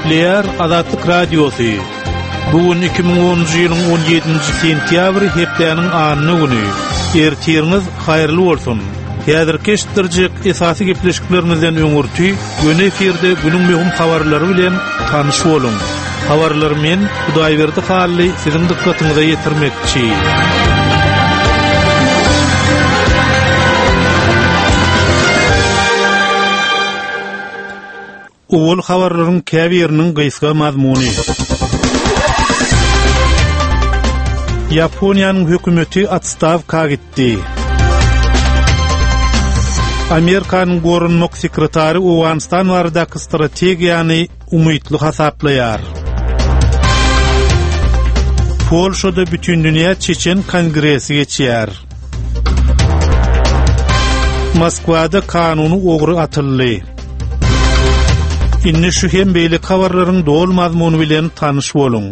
Gepleýär Azatlyk Radiosy. Bu gün 2010-njy ýylyň 17-nji sentýabry hepdäniň anna güni. Ertiriňiz haýyrly bolsun! Häzirki eşitdirjek esasy gepleşiklerimizden öňürti göni efirde günüň möhüm habarlary bilen tanyş boluň. Habarlary men, Hudaýberdi Hally siziň dykgatyňyza ýetirmekçi. Owal habarlaryň käbiriniň gysga mazmuny. Ýaponiýanyň hökümeti otstawka gitdi. Amerikanyň goranmak sekretary Owganystan baradaky strategiýany umytly hasaplaýar. Polşada Bütindünýä Çeçen kongresi geçýär. Moskwada kanuny ogry atyldy. Indi şu hem beýleki habarlaryň doly mazmuny bilen tanyş boluň.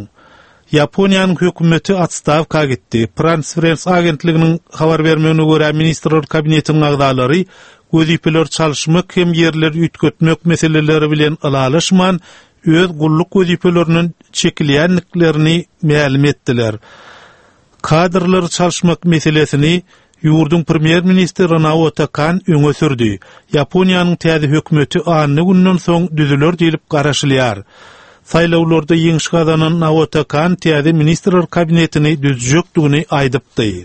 Ýaponiýanyň hökümeti otstawka gitdi. Prans-Press agentliginiň habar bermegine görä, Ministrler Kabinetiniň agzalary wezipeleri çalyşmak hem ýerleri üýtgetmek meseleleri bilen ylalaşman, öz gulluk wezipelerinden çekilýändiklerini mälim etdiler. Kadrlary çalyşmak meselesini ýurduň premýer-ministri Naoto Kan öňe sürdi. Ýaponiýanyň täze hökümeti anna günden soň düzüler diýlip garaşylýar. Saýlawlarda ýeňiş gazanan Naoto Kan täze ministrler kabinetini düzjekdigini aýdypdy.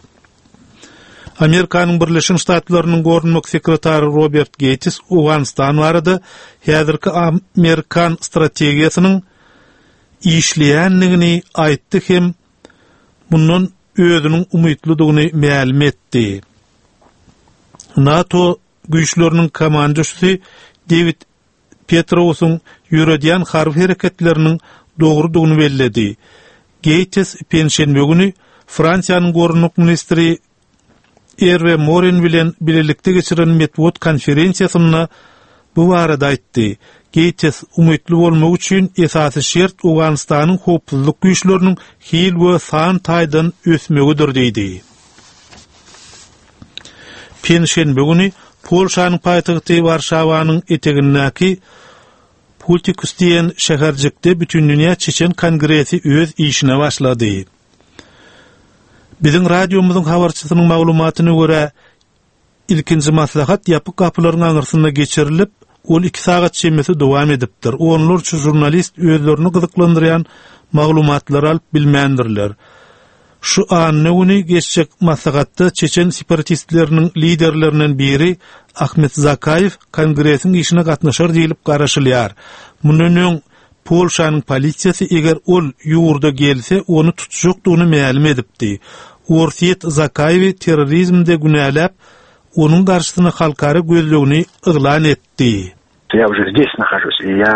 Amerikanyň Birleşen Ştatlarynyň goranmak sekretary Robert Geýts Owganystan barada häzirki amerikan strategiýasynyň işleýändigini aýtdy hem mundan özüniň umytlydygyny mälim etdi. NATO güýçleriniň komandosy Dewid Petrowsyň ýöredýän harby hereketleriniň dogrudygyny belledi. Geýtes penşenbe güni Fransiýanyň goranmak ministri Erwe Morin bilen bilelikde geçiren metbugat konferensiýasynda bu barada aýtdy. Geýtes, Umytly bolmak üçin esasy şert Owganystanyň howpsuzlyk güýçleriniň hil we san taýdan ösmegidir diýdi. Penşenbe güni Polşanyň paýtagty Warşawanyň etegindäki Pultikus diýen şäherjikde Bütindünýä Çeçen kongresi öz işine başlady. Biziň radiomyzyň habarçysynyň maglumatyna görä, ilkinji maslahat ýapyk gapylaryň aňyrsynda geçirilip, ol iki sagat çemesi dowam edipdir. Onlarça žurnalist özlerini gyzyklandyrýan maglumatlary alyp bilmändirler. Şu anna güni geçjek maslahatda çeçen separatistleriniň liderlerinden biri Ahmet Zakaýew kongresiň işine gatnaşar diýlip garaşylýar. Mundan öň Polşanyň polisiýasy eger ol ýurda gelse, ony tutjakdygyny mälim edipdi. Orsýet Zakaýewi terrorizmde günäläp, onuň garşysyna halkara gözlegini yglan etdi. Ýa uje zdes nahažus i ýa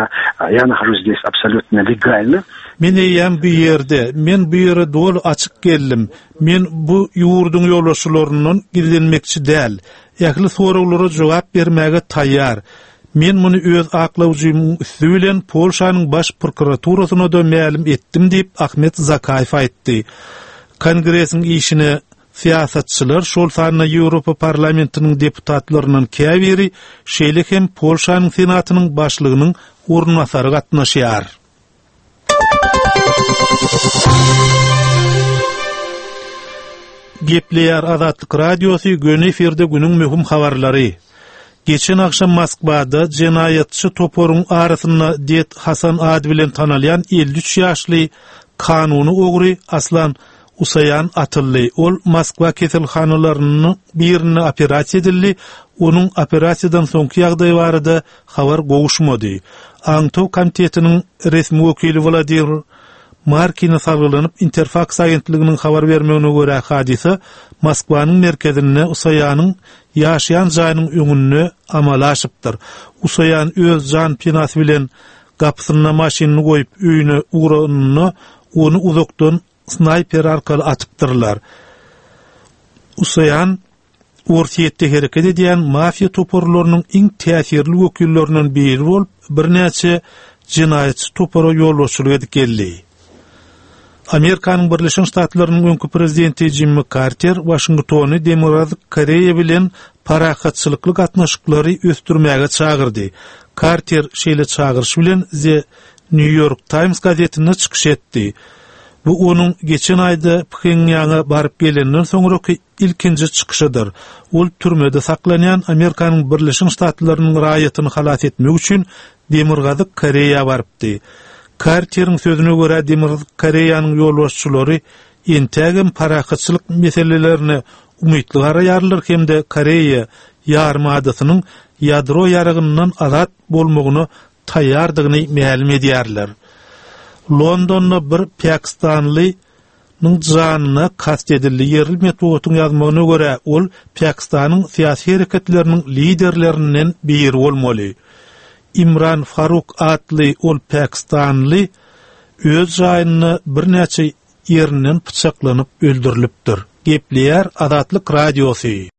ýa nahažus zdes absolýutno legalno. Men eýýäm bu ýerde, men bu ýere doly açyk geldim. Men bu ýurduň ýolbaşçylaryndan gizlenmekçi däl. Ähli soraglara jogap bermäge taýýar. Men muny öz aklawjymyň üsti bilen Polşanyň Baş prokuraturasyna-da mälim etdim diýip, Ahmet Zakaýew aýtdy. Kongresiň işine syýasatçylar, şol sanda Ýewropa Parlamentiniň deputatlaryndan käbiri, şeýle hem Polşanyň Senatynyň başlygynyň orunbasary gatnaşýar. Gepleýär Azatlyk Radiosy, göni efirde günüň möhüm habarlary. Geçen agşam Moskwada jenaýatçy toparyň arasynda Ded Hasan ady bilen tanalýan 53 ýaşly kanuny ogry Aslan Usaýan atyldy. Ol Moskwa keselhanalarynyň birinde operasiýa edildi. Onuň operasiýadan soňky ýagdaýy barada habar gowuşmady. Aňtaw komitetiniň resmi wekili Wladimir Markine salgylanyp, Interfaks agentliginiň habar bermegine görä, hadysa Moskwanyň merkezinde Usaýanyň ýaşaýan jaýynyň öňünde amala aşypdyr. Usaýan öz jan penasy bilen gapysynda maşynyny goýup öýüne ugranynda ony uzakdan snaýper arkaly atypdyrlar. Usaýan Orsýetde hereket edýän mafiýa toparlarynyň iň täsirli wekillerinden biri bolup, birnäçe jenaýatçy topara ýolbaşçylyk edip geldi. Amerikanyň Birleşen Ştatlarynyň öňki prezidenti Jimmi Karter Waşingtony Demirgazyk Koreýa bilen parahatçylykly gatnaşyklary ösdürmäge çagyrdy. Karter şeýle çagyryş bilen The. New York Times gazetinde çykyş etdi. Bu onuň geçen aýda Phenýaňa baryp gelenden soňraky ilkinji çykyşydyr. Ol türmede saklanýan Amerikanyň Birleşen Ştatlarynyň raýatyny halas etmek üçin Demirgazyk Koreýa barypdy. Karteriň sözüne görä, Demirgazyk Koreýanyň ýolbaşçylary entägem parahatçylyk meselelerine umytly garaýarlar hem-de Koreýa ýarymadasynyň ýadro ýaragyndan azat bolmagyna taýýardygyny mälim edýärler. Londonda bir pakistanly nyň janyna kast edildi. Ýerli metbugatyň ýazmagyna görä, ol Pakistanyň syýasy hereketleriniň liderlerinden biri bolmaly. Imran Faruk atly ol pakistanly öz jaýynda birnäçe ýerinden pyçaklanyp öldürilipdir. Gepleýär Azatlyk Radiosy.